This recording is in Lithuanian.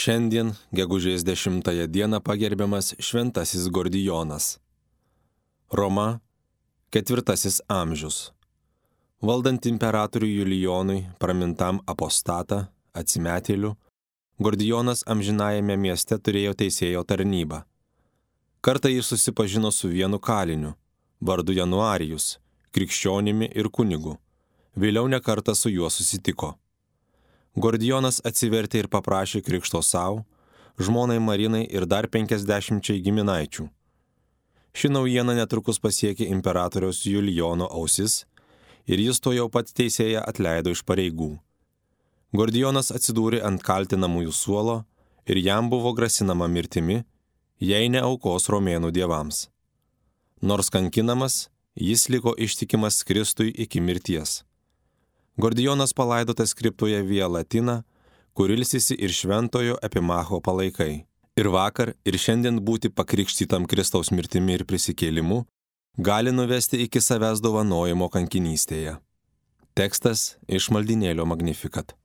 Šiandien, gegužės 10 dieną, pagerbiamas Šventasis Gordijonas. Roma, 4 amžius. Valdant imperatoriui Julijonui, pramintam apostatą, atsimetėliu, Gordijonas amžinajame mieste turėjo teisėjo tarnybą. Kartą jis susipažino su vienu kaliniu, vardu Januarijus, krikščionimi ir kunigu. Vėliau nekartą su juo susitiko. Gordijonas atsivertė ir paprašė krikšto savo, žmonai Marinai ir dar 50 giminaičių. Ši naujiena netrukus pasiekė imperatoriaus Julijono ausis ir jis to jau pat teisėją atleido iš pareigų. Gordijonas atsidūrė ant kaltinamųjų suolo ir jam buvo grasinama mirtimi, jei ne aukos romėnų dievams. Nors kankinamas, jis liko ištikimas Kristui iki mirties. Gordijonas palaidotas kriptoje Via Latina, kur ilsisi ir šventojo Epimacho palaikai. Ir vakar, ir šiandien būti pakrikštytam Kristaus mirtimi ir prisikėlimu gali nuvesti iki savęs dovanojimo kankinystėje. Tekstas iš maldynėlio Magnificat.